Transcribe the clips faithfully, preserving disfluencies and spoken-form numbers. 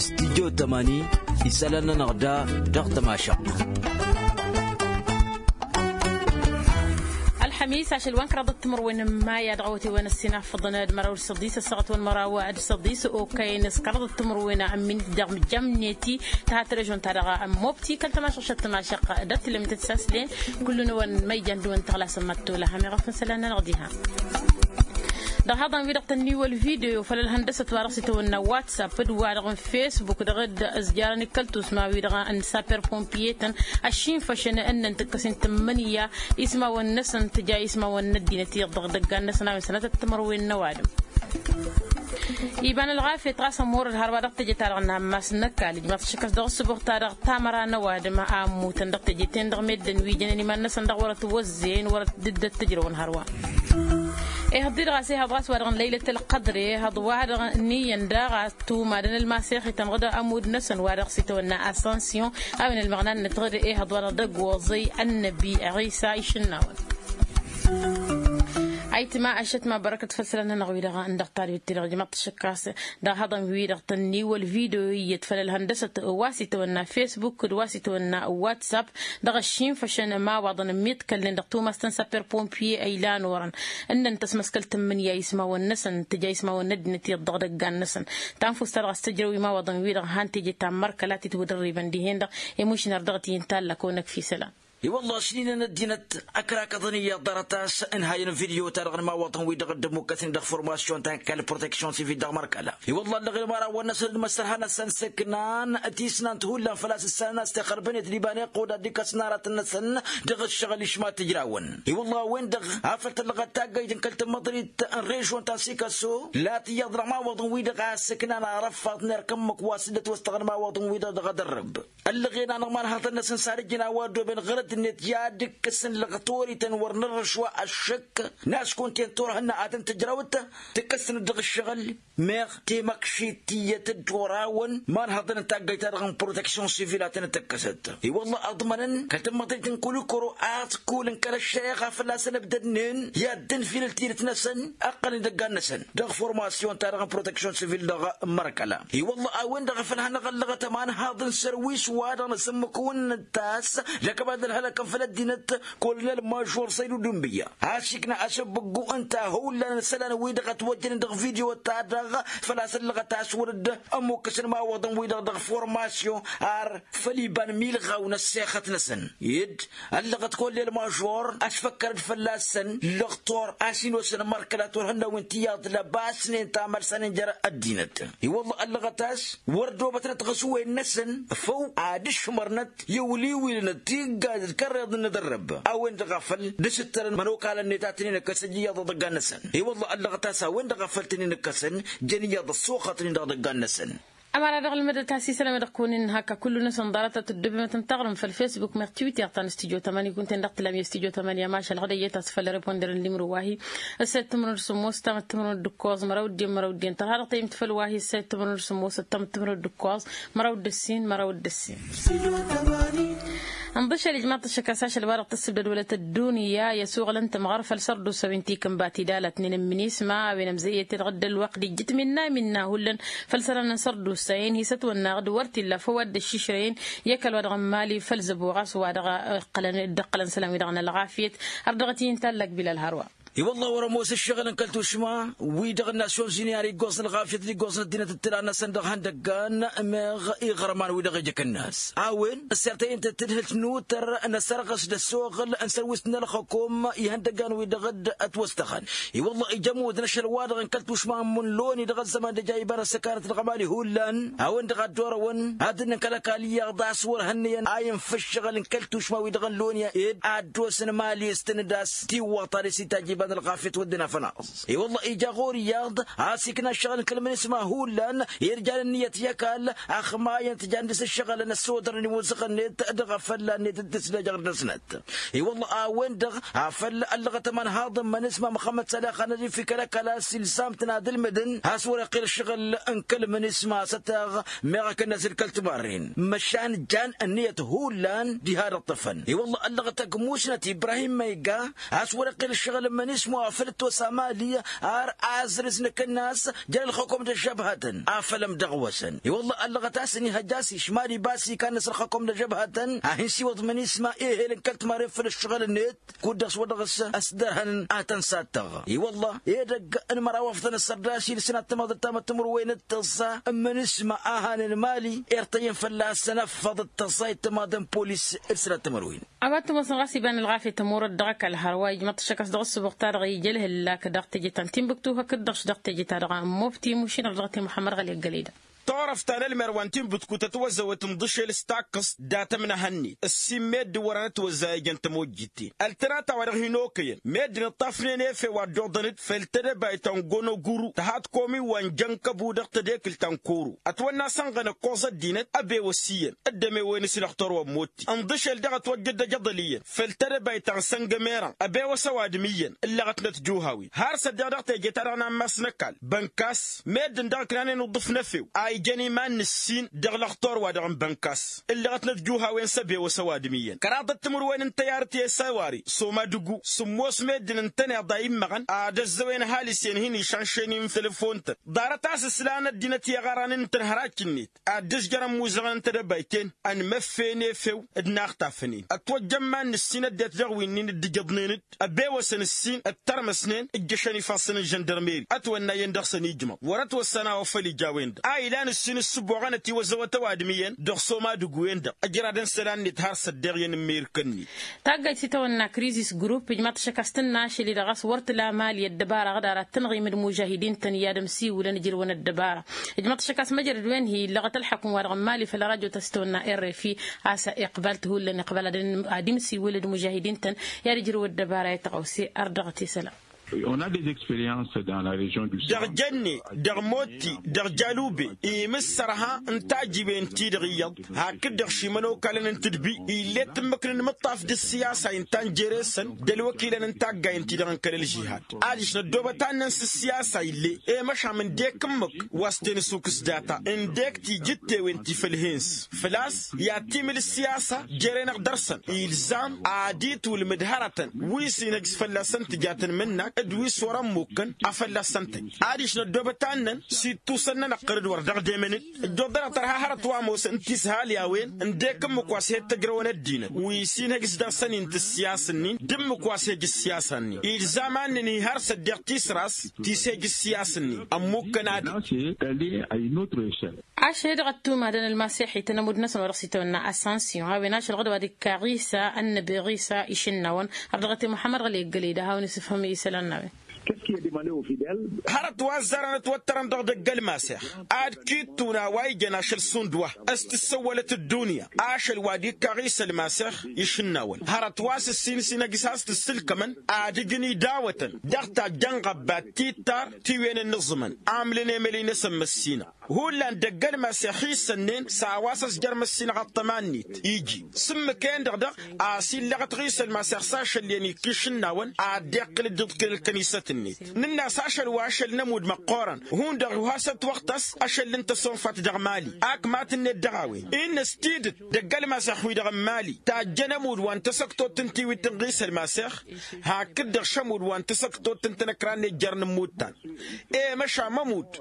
Studyo tămani isălan-nănăɣ da dăɣ-tămašăɣt. Ălxămis ašăl wa n-kăraḍăt timǝrwen n-maya dăɣ-awătay wa n-ăssinafăḍăn d-măraw d-săḍis ăssaɣăt wa n-măraw d-săḍis okăyăn s-kăraḍăt timǝrwen n-minit dăɣ-mjămneti. Tăhat režon-ta-dăɣ n-mobti kăl-tămašăɣt šăt-tămašăɣt dăr-tilămit d-saslen. Kullu-năwăn ma ijan dăɣ-wăn tăɣlasăn mad-tolăhăm iɣăf n-isălan-nănăɣ diha. Dăɣ-haḍăn-wi-dăɣ tănniwăl video făll-ălhăndăsăt wa dăɣ-s itawănna whatsapp d-wa-dăɣ n-facebook dăɣ-dd-ăzjarăn ikăl tusma-wi-dăɣ n-saper pompiye-tăn ăššinfăšăn ǝnnăn tǝkkăs-in tǝmmǝnǝya ismawăn-năsăn tǝja ismawăn n-ăddinăt iyyăḍ dăɣ-idăggan-năsăn a-wen sănatăt timărwen n-ăwadǝm. Iba n-ălɣafyăt ɣas ămoorăd hărwa dăɣ-teje-ta-dăɣ n-ammas n-ăkall ijmaḍ-t ašăk a-s dăɣ-ǝssǝbuɣ-ta-dăɣ tamăra n-ăwadǝm a ămmutăn dăɣ-teje-ten-dăɣ meddǝn wi jănen iman-năsăn dăɣ-wărăt wăzzeyăn wărăt dd-ăttǝjrăwăn hărwa. Ehăḍ-di-dăɣ a-s ehăḍ ɣas wa-dăɣ n-lăylăt ălqădre ehăḍ wa-dăɣ n-iyyăn daɣ a tumadăn ălmasexităn ɣǝd ămud-năsăn wa dăɣ-s itawănna asănsyon. A-wen ălmăɣna-năt ɣǝd ehăḍ wa-dăɣ d-ăgg-oẓăy ănnăbi ɣisa išǝnnawăn. Ayǝtma ăššăt ma bărăkăt făll-isălan-nănăɣ wi-dăɣ n-dăɣ-tadwit-ti-dăɣ ijmaḍ-t ašăk a-s dăɣ-haḍăn-wi-dăɣ tănniwăl video iyyăt făll-ălhăndăsăt wa s-itawănna facebook d-wa s-itawănna whatsapp. Dăɣ-ăššinfăšăn ămawaḍăn ămmiḍkălnen dăɣ-tumast n-sapper pompiye a ilan orăn ǝnnăn tăsmăskăl tǝmmǝnǝya ismawăn-năsăn tǝja ismawăn n-ăddinăt iyyăḍ dăɣ-idăggan-năsăn. Tanfust-ta-dăɣ a-s tǝjrăw imawaḍăn-wi-dăɣ han teje ta n-mărkăl a titwǝdărribăn dihen-dăɣ. I-mušnar dăɣ-t-i ǝnta allăk onăkf isălan. I-wălla ašnin n-ăddinăt ăkrakăḍăn iyyăḍ ḍarăt a-s ǝnhayăn n-video-ta-dăɣ n-imawaḍăn-wi-dăɣ dd-ămmukkăsnen dăɣ-formasyon ta n-kall proteksyon sivil dăɣ-mărkăla. I-wălla ăllăɣen imărawăn-năsăn d-imăssărha-năsăn săknan tisnant hullan făl-a-s ǝssanăn a-s tixărbănet d-iba n-iqqud ad-dd-ikkăsăn aratăn-năsăn dăɣ-ǝššăɣǝl išma tǝjrawăn. I-wălla a-wen-dăɣ afăl tăllăɣăt taggăyt n-kăl-tămmăḍrit n-režon ta n-sikaso la tǝyyăḍ dăɣ-imawaḍăn-wi-dăɣ a ǝssǝknan arăffaḍ n-erk ǝmmǝk wa s-dd-ătwăstăɣăn imawaḍăn-wi-dăɣ dăɣ-edăr-rǝbb. Ăllăɣen-anăɣ imanhăḍăn-năsăn s-ad-ǝjǝn a-wa ăddooben ɣărăt-net i-ad-ǝkkǝsăn lăɣtorităn wăr nărrăš wa ăššăk n-a-s kunta-en turhǝnna ad-tăn-tǝjrăwăt tǝkkăsnăt dăɣ-ǝššăɣǝl. Meɣ temăkšit tiyyăt dd-orawăn imanhăḍăn n-taggăyt-ta-dăɣ n-proteksyon sivil ad-tăn-dd-tǝkkăsăt. I-wălla ăḍmănăn kăl-tămmăḍrit n-kulikoro a-s kulǝn kăl-ăššăreɣa fălla-săn ǝbdădnen i-ad-dd-ǝnfilǝl tidǝt-năsăn ǝqqălăn idăggan-năsăn dăɣ-formasyon-ta-dăɣ n-proteksyon sivil dăɣ-mărkăla. I-wălla a-wen-dăɣ a făl hanăɣ-ăllăɣăt ămanhaḍ n-sărwis-wa-dăɣ n-asǝmmǝk-wǝnnǝt ta s-lăkăbad ălhălăkăn făll-ăddinăt. Kolonel mažor săydu dunbǝyya a-s ikna asǝbbǝggu ǝnta hullan n-isălan-wi-dăɣ ătwăjjănen dăɣ-video-ta-dăɣ făl-a-s ăllăɣăt a-s wăr dd-ămmukkăsăn imawaḍăn-wi-dăɣ dăɣ-formasyon ar făll-iba n-imilɣaw n-ăssexăt-năsăn ed ăllăɣăt kollel mažor ăsfăkkărăd fălla-săn lăɣtor a-s inosăn mărkălat wăr hănnăwin tiyyăḍ lăbasnen tamălsanen jer-ăddinăt. I-wălla ăllăɣăt a-s wăr dd-obătnăt ɣas uwen-năsăn făw ad-ǝšmărnăt i-ăwliwilnăt tiggad d-kărreḍ n-inǝdărrăb a-wen-dăɣ a făl dd-asǝttărăn imănokalăn-net ad-tăn-in-ǝkkăs ija iyyăḍ dăɣ-idăggan-năsăn. I-wălla ăllăɣăt a-s a-wen-dăɣ a făl tăn-in-ǝkkăsăn jăn iyyăḍ ăssoxătnen dăɣ-idăggan-năsăn. Ămăra dăɣ-ălmădăt a-s isălan ad-ăkkunen hak a kullu-năsăn ḍarăt ad-tǝddǝbemăt n-taɣrǝmt făll-facebook meɣ tiwiter ta n-studyo tămani kunta-en dăɣ-tǝlam i-studyo tămani ămašal ɣad ăyyăt a-s făll-reponder n-limru wa-hi. Ǝssayăt timǝrwen d-sǝmmos ǝttamăt timǝrwen d-ǝkkoẓ măraw d-dd-en măraw d-dd-en tărha dăɣ-tayǝmt făll-wa-hi ǝssayăt timǝrwen d-sǝmmos ǝttamăt timǝrwen d-ǝkkoẓ măraw d-ǝssin măraw d-ǝssin. Ǝnḍǝšăl ijmaḍ-t ăššăk a-s ašăl wa-dăɣ tǝssǝbdăd wălăt ăddunya i-asuɣǝl n-tămɣăr făll-sărdusa wi n-tikǝnba tidalătnen n-minisma a-wen ămzăyyăt-i-dăɣ dd-ălwăqq d-ijjǝt minna minna hullan făll-isălan n-sărdusa-en hi-sătwănna ɣǝd wăr t-illa făw ad-dd-ăššišrăyăn i-ăkall wa dăɣ-n mali făll-zăbo ɣas wa dăɣ-dd-ǝqqǝlăn isălan-wi-dăɣ n-ălɣafyăt. Ar dăɣ-t-in-tallăk bilal hărwa. I-wălla wăr-ămoos ǝššăɣǝl n-kăl-tušma wi-dăɣ n-nasyonzini ar iggoẓ n-ălɣafyăt d-iggoẓ n-ăddinăt d-tǝla-năsăn dăɣ-ihăndăggan meɣ iɣărman-wi-dăɣ ija kănnas a-wen ăssirtăyăn-tăt tǝdhǝlt n-utăr n-asărɣǝs d-ăssoɣǝl n-sărwist n-ălxăkom ihăndăggan-wi-dăɣ dd-ătwăstăxăn. I-wălla ija ămudd n-ašăl-wa-dăɣ n-kăl-tušma n-imǝnloni dăɣ-ăzzăman d-ija iba n-ăssăkanăt dăɣ-mali hullan a-wen-dăɣ a dd-orăwăn ad-ǝnnǝn kăl-ăkall iyyăḍ a-s wăr hănnăyăn a infa ǝššăɣǝl n-kăl-tušma-wi-dăɣ n-lonya ed ad-dd-osăn mali s-tǝnnǝd a-s tiwwaḍt ad-dăr-s itajj iba n-ălɣafyăt wădden afănaẓ. I-wălla ija ɣur-iyyăḍ a-s ikna ǝššăɣǝl n-kăl-minisma hullan irjalăn ǝnniyăt i-ăkall ăxmayăn tǝjăn dăr-s ǝššăɣǝlăn ăssodărnen imuzăɣăn-net dăɣ-afălla-net d-tǝslejăɣ-năsnăt. I-wălla a-wen-dăɣ afăl ăllăɣăt ămanhaḍ n-imănisma măxămmăd sălax anăzif i-kăl-ăkall a-s ilsam-tăn ad-ǝlmǝdăn a-s wăr-iqqel ǝššăɣǝl n-kăl-minisma s-ătteɣ meɣ akǝnnas d-kăl-timarren măšan jan ǝnniyăt hullan diha dăɣ-tăfăn. I-wălla ăllăɣăt ăgg musnăt ibrahim măyga a-s wăr-iqqel ǝššăɣǝl n-imănisma. Ǝšmăwăɣ făl ătwăsa mali ar azrǝz n-akǝnnas jer-ălxăkom d-ăžžăbhătăn afălăm dăɣ-wăsăn i-wălla ăllăɣăt a-s ănihăjj a-s išmali bas ikan-năs ălxăkom d-ăžžăbhătăn a hin-siwăḍ mănisma ehel n-kăl-timaren făll-ǝššăɣǝl-net. Kud-dăɣ s-wăr dăɣ-s ăsdărhăn n-atăn s-ad-tăɣ i-wălla edăgg n-măraw afḍăn ăssărdašil s-inat tămaḍăt tamăttămărwen d-tăẓẓa n-imǝnǝsma a hanen mali irtăyyăn fălla-săn ăffăḍ d-tăẓẓa i-tămaḍăn polis d-sănat tămărwen. A-wa t-ămoosăn ɣas iba n-ălɣafyăt ămurăt dăɣ-ăkall hărwa ijmăḍ-t ăššăk a-s dăɣ-ăssǝbuɣ-ta-dăɣ ija ălhǝllak dăɣ-teje ta n-tinbǝktu hakd-dăɣ-š dăɣ-teje-ta-dăɣ ămmoftǝy mušin ărdăɣăt i-muḥămmăd ɣăli ăggălăy-dăɣ. Turăft ta n-ălmerwa n-tinbǝtku tătwăzzăwăt ǝnḍǝšel s-takkăẓt dat-ămnăhăn-net ǝssin meddǝn wăren ătwăzzay ăjăn tămojjit-ten ăltănat a-wa-dăɣ hin-okăyăn meddǝn ǝṭṭafnen efew a dd-oḍăn-dd făll-tedăbayt ta n-gonoguru tăhat komi wa n-jăn kăbu dăɣ-tedekǝlt ta n-koro ătwănna sănɣăn ǝkkoẓ ăddinăt ăbewăs iyyăn dd-ămewăyăn s-lăxtor wa n-motti ǝnḍǝšel daɣ ătwăjjăd d-ajăḍăl iyyăn făll-tedăbayt ta n-săngămerăn ăbewăs ăwadǝm iyyăn ǝllăɣătnăt juhawen har s-ăddeɣ dăɣ-teje-ta-dăɣ n-ammas n-ăkall bănkas meddǝn daɣ ǝknanen uḍǝf n-efew a ijăn iman n-ǝssin dăɣ-lăxtor-wa-dăɣ n-bănkas ǝllăɣătnăt juhawen s-ăbewăs ăwadǝm iyyăn kăraḍăt timǝrwen n-tăyarăt i-săwari s-omadǝgu sǝmmos meddǝn ǝntăneḍ a immăɣăn ad-ăzzăwen ăhalǝs-en hin-išanšen i-n-telăfon-tăn ḍarăt a-s ǝslan ăddinăt i-aɣaran n-tǝnhărajt-net ad-dd-ǝzjărăn imuzăɣăn n-tedăbayt-en ănmăffen efew d-inaxtafăn-in ătwăjja iman n-ǝssin ăddinăt dăɣ-winnin dd-ǝjăḍnen-dd ăbewăsăn ǝssin ǝttărmăsnen ǝjjăšăn ifassăn n-žăndărmeri ătwănna iyyăn dăɣ-săn ijmăḍ wăr-ătwăssan a-wa făl ija a-wen-dăɣ a ilan ǝssin ǝssǝboɣăn ătiwăzzăwăt ăwadǝm iyyăn dăɣ-s omadǝgu-en-dăɣ ăjradăn isălan-net har s-ăddeɣ iyyăn n-imirkăn-net. Taggayt s-itawănna krizis grup ǝjmaḍ-t ašăk a-s tǝnna ašăl-i-dăɣ a-s wăr tǝla mali ăddăbara ɣǝdarăt tǝnɣim d-imužahidin-tăn i-ad-ămsiwǝlăn ǝjrǝwăn ăddăbara. Ǝjmaḍ-t ašăk a-s măjrăd wen hi-illăɣăt ălḥăkm-wa-dăɣ n-mali făll-radyo ta s-itawănna r f i a-s iqbal-t hullan iqbal ad-ămsiwǝl d-imužahidin-tăn i-ad-ǝjrǝw ăddăbara i-tăɣawse. Ărdăɣăt isălan. Dăɣ-jănne dăɣ-motti dăɣ-jalube imǝssărha n-tajiwen-ti-dăɣ iyyăḍ hakd-dăɣ šimănokalăn n-tǝdbi ill'-e tǝmmǝk n-inmǝṭṭaf d-ǝssiyasa inta n-jere-săn d-ălwăkilăn n-taggayen-ti-dăɣ n-kăl-ălžihad adiš năddoobăt annăn s-ǝssiyasa ill'-e i-măšan ǝndek ǝmmǝk wa s-tenăsukǝs data ǝndek tijǝttewen ti făll-hen-s făl-a-s i-ad-timǝl ǝssiyasa jere-năɣ dăr-săn ilzam ad-itwǝlmǝd hărătăn wi s-inhăj s-fălla-săn tǝja tǝnmǝnnak d-wi s-wăr-ămmukkăn a fălla-săn tăj adiš năddoobăt annăn s-ittusăn-nănăɣ qărǝd wăr dăɣ-demăn-dd ǝjjuḍ-dăɣ tărha hărăt wa ămoosăn tishalyawen ǝndek ǝmmǝk wa s-he-dd tăjrăwăn ăddinăt wi s-inhăj s-dăɣ-săn intǝs siyas-nin d-ǝmmǝk wa s-hej ǝssiyasa-nin ilzam a ǝnnǝnhǝy har s-ăddeɣ tisras ti s-hej ǝssiyas-nin ămmukkăn ad-dd. Ašăl-e-dăɣ ăttumadăn ălmaseḥităn ămudd-năsăn wa dăɣ-s itawănna asansiyon a-wen ašăl ɣǝd wa d-ikka ɣisa ănnăbi ɣisa išǝnnawăn har dăɣ-t i-muḥămmăd ɣăli ăggălăy-dăɣ hawăn-i s-ǝfhǝm isălan n-a-wen. Hărăt wa ăzzarăn ătwăttărăn dăɣ-dăgg-ălmasex ad-kittun a-wa ijăn ašăl šund wa s-tǝssăwwălăt ăddunya ašăl wa d-ikka ɣisa ălmasex išǝnnawăn hărăt wa s-ǝssin s-inăjj s-has-tǝssǝlkămăn ad-ǝjǝn idawătăn dăɣ-tajjăn ɣăbbat tittar tiwǝyăn ǝnnǝẓǝmăn amlăn emălăy-năsăn măssinăɣ hullan dăgg-ălmasex isănnen s-a-wa s-ăsjăr măssinăɣ ăṭṭăma-net iji s-ǝmmǝk-en-dăɣ dăɣ-a-s illăɣăt ɣisa ălmasex s-ašăl iyyăn ikka išǝnnawăn ad-dd-iqqǝl dd-iḍkǝl ălkănisăt-net nǝnn'-as ašăl wa ašăl n-ămudd măqqoorăn hundăɣ wi has-ătwăɣtăs ašăl n-tăsonfat dăɣ-mali akmatăn-net dăɣ-a-wen innă s-tidǝt dăgg-ălmasex wi-dăɣ n-mali tajjăn ămudd wa n-tasăktot n-tiwit n-ɣisa ălmasex hakd-dăɣ šămudd wa n-tasăktot n-tanăkra-net jer-inǝmmuttan i-măšan ămudd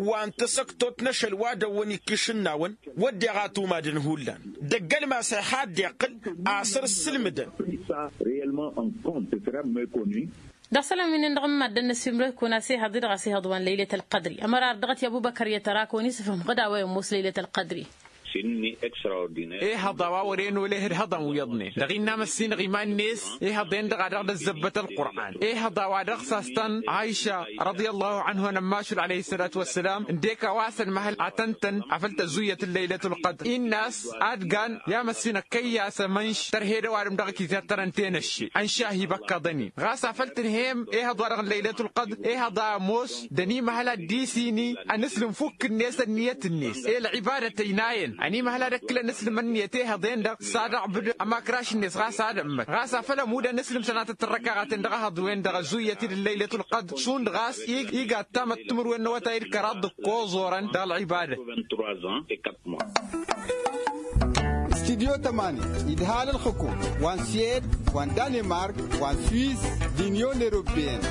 wa n-tasăktot n-ašăl wa dăɣ-wăn ikka išǝnnawăn wădden a tumadăn hullan dăgg-ălmasex a dd-iqqǝl asăr ǝssǝlmǝdăn. Dăɣ-isălan wi-nen-dăɣ n-maddǝn n-asǝmrǝkun a-s ehăḍ-i-dăɣ a-s ehăḍ wa n-lăylăt ălqădri ămăra ar dăɣ-t i-ăbubăkăr i-tărakăwăn isǝfhǝm ɣǝd a-wa imoos lăylăt ălqădri. Ehăḍ a-wa wăren oleh d-ihăḍăn wi iyyăḍnen dăɣ-innă amăssinăɣ iman-net ehăḍ-en-dăɣ a dăɣ-dd-ăzzăbbăt ălqur'an ehăḍ a-wa dăɣ-s a-s tăn-aisha răḍiyăllahu anhu n-ămmašul alăyh s-sălat wa s-sălam ǝndek a-wa s-ănmăhăl a tăn-tăn afăl tăzzuyyăt n-lăylăt ălqădr innă a-s ad-gan i-amăssinăɣ kăyy-as ămănš tărhed ăwadǝm dăɣ-ăkizăt tărăn tenăšše ănšahi băkkăḍăn-in ɣas afăl tǝnhăyăm ehăḍ-wa-dăɣ n-lăylăt ălqădr ehăḍ a ămoos d-ănimăhăl ad-dd-isini ănǝslǝm fukk-net ănniyăt-net i-ălɣibadăt ăynayăn ănimăhăl ad-ăkkǝlăn ǝslǝm ănniyăt ehăḍ-en-dăɣ s-ad-ăɣbǝd ămakraš-net ɣas ad-ămmăt ɣas afăl ămudd ănǝslǝm sănatăt n-răkaɣaten dăɣ-ehăḍ-wen-dăɣ ăzzuyyăt-dd n-lăylăt ălqădr šund ɣas ig-iga ăttamăt timǝrwen n-awătay d-kăraḍ d-ǝkkoẓorăn dăɣ-ălɣibadăt. Studyo tămani idhal ǝlxǝkum wa n-swed wa n-danemark wa n-swiss d-inyon europeyăn.